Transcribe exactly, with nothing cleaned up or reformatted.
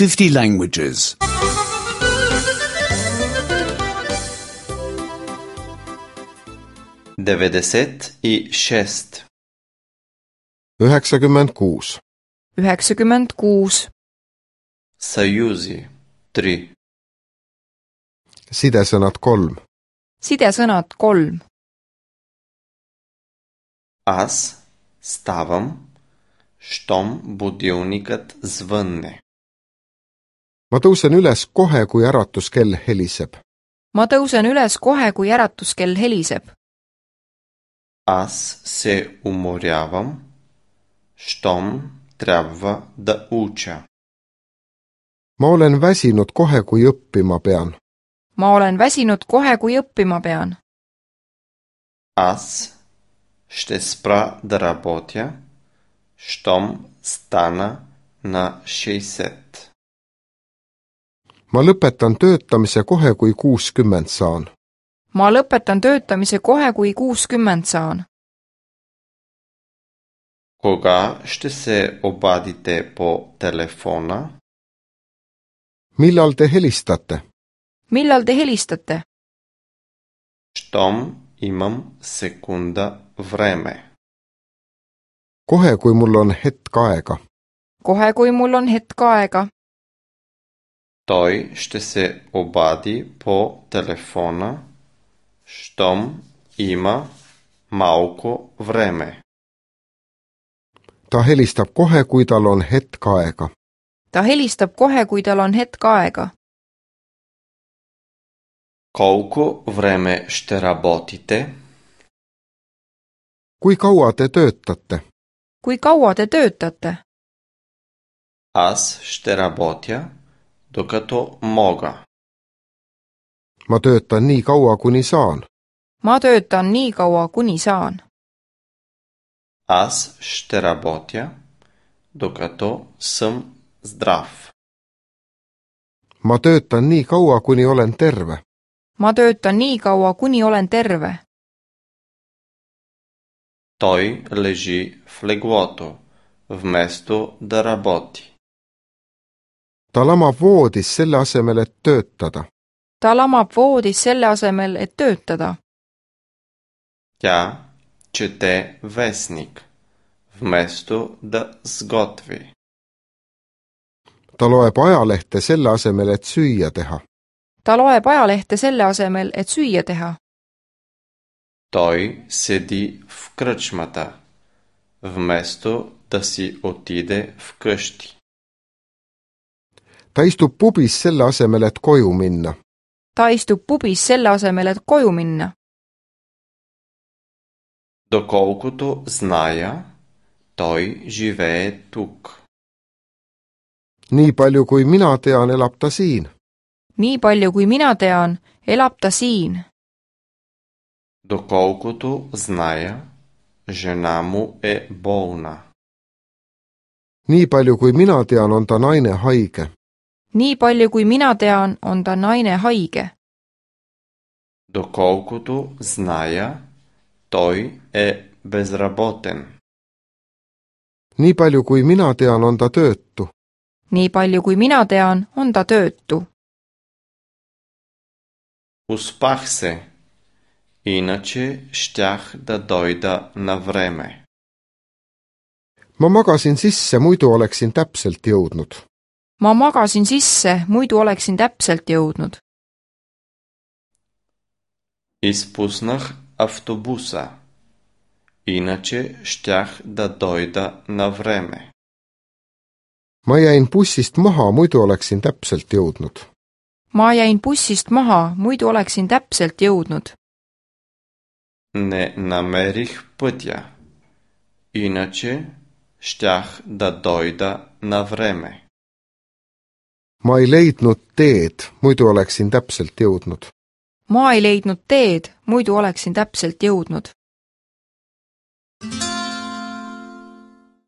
fifty languages. деветдесет и шесть. üheksakümmend kuus. üheksakümmend kuus. Союзи три. Sidesõnad kolm. Sidesõnad kolm. Аз ставам, щом будилникът звънне. Ma tõusen üles kohe, kui äratuskell heliseb. Ma tõusen üles kohe, kui äratuskell heliseb. Аз се уморявам, щом трябва да уча. Ma olen väsinud kohe, kui õppima pean. Ma olen väsinud kohe, kui õppima pean. Аз ще спра да работя, щом стана на шейсет. Ma lõpetan töötamise kohe, kui kuuskümmend saan. Ma lõpetan töötamise kohe, kui kuuskümmend saan. Кога ще се обадите по телефона? Millal te helistate? Millal te helistate? Щом имам секунда време. Kohe, kui mul on hetk aega. Kohe, kui mul on hetk aega. Той ще се обади по телефона, щом има малко време. Ta helistab kohe, kui tal on hetk aega. Ta helistab kohe, kui tal on hetk aega. Колко време ще работите? Kui kaua te töötate? Kui kaua te töötate? Аз ще работя, докато мога. Ma töötan nii kaua, kuni saan. Ma töötan nii kaua, kuni saan. Аз ще работя, докато съм здрав. Ma töötan nii kaua, kuni olen terve. Ma töötan nii kaua, kuni olen terve. Той лежи в леглото, вместо да работи. Ta lamab voodis selle asemel, et töötada. Ta lamab voodis selle asemel, et töötada. Тя чете вестник, вместо да сготви. Ta loeb ajalehte selle asemel, et süüa teha. Ta loeb ajalehte selle asemel, et süüa teha. Той седи в кръчмата, вместо да си отиде вкъщи. Ta istub pubis selle asemel, et koju minna. Ta istub pubis selle asemel, et koju minna. Доколкото зная, той живее тук. Nii palju, kui mina tean, elab ta siin. Nii palju, kui mina tean, elab ta siin. Доколкото зная, жена му е болна. Nii palju, kui mina tean, on ta naine haige. Nii palju, kui mina tean, on ta naine haige. Доколкото зная, той е безработен. Nii palju, kui mina tean, on ta töötu. Nii palju, kui mina tean, on ta töötu. Успах се, иначе щях да дойда на време. Ma magasin sisse, muidu oleksin täpselt jõudnud. Ma magasin sisse, muidu oleksin täpselt jõudnud. Изпуснах автобуса, иначе щях да дойда на време. Ma jäin bussist maha, muidu oleksin täpselt jõudnud. Ma jäin bussist maha, muidu oleksin täpselt jõudnud. Не намерих пътя, иначе щях да дойда на време. Ma ei leidnud teed, muidu oleksin täpselt jõudnud. Ma ei leidnud teed, muidu oleksin täpselt jõudnud.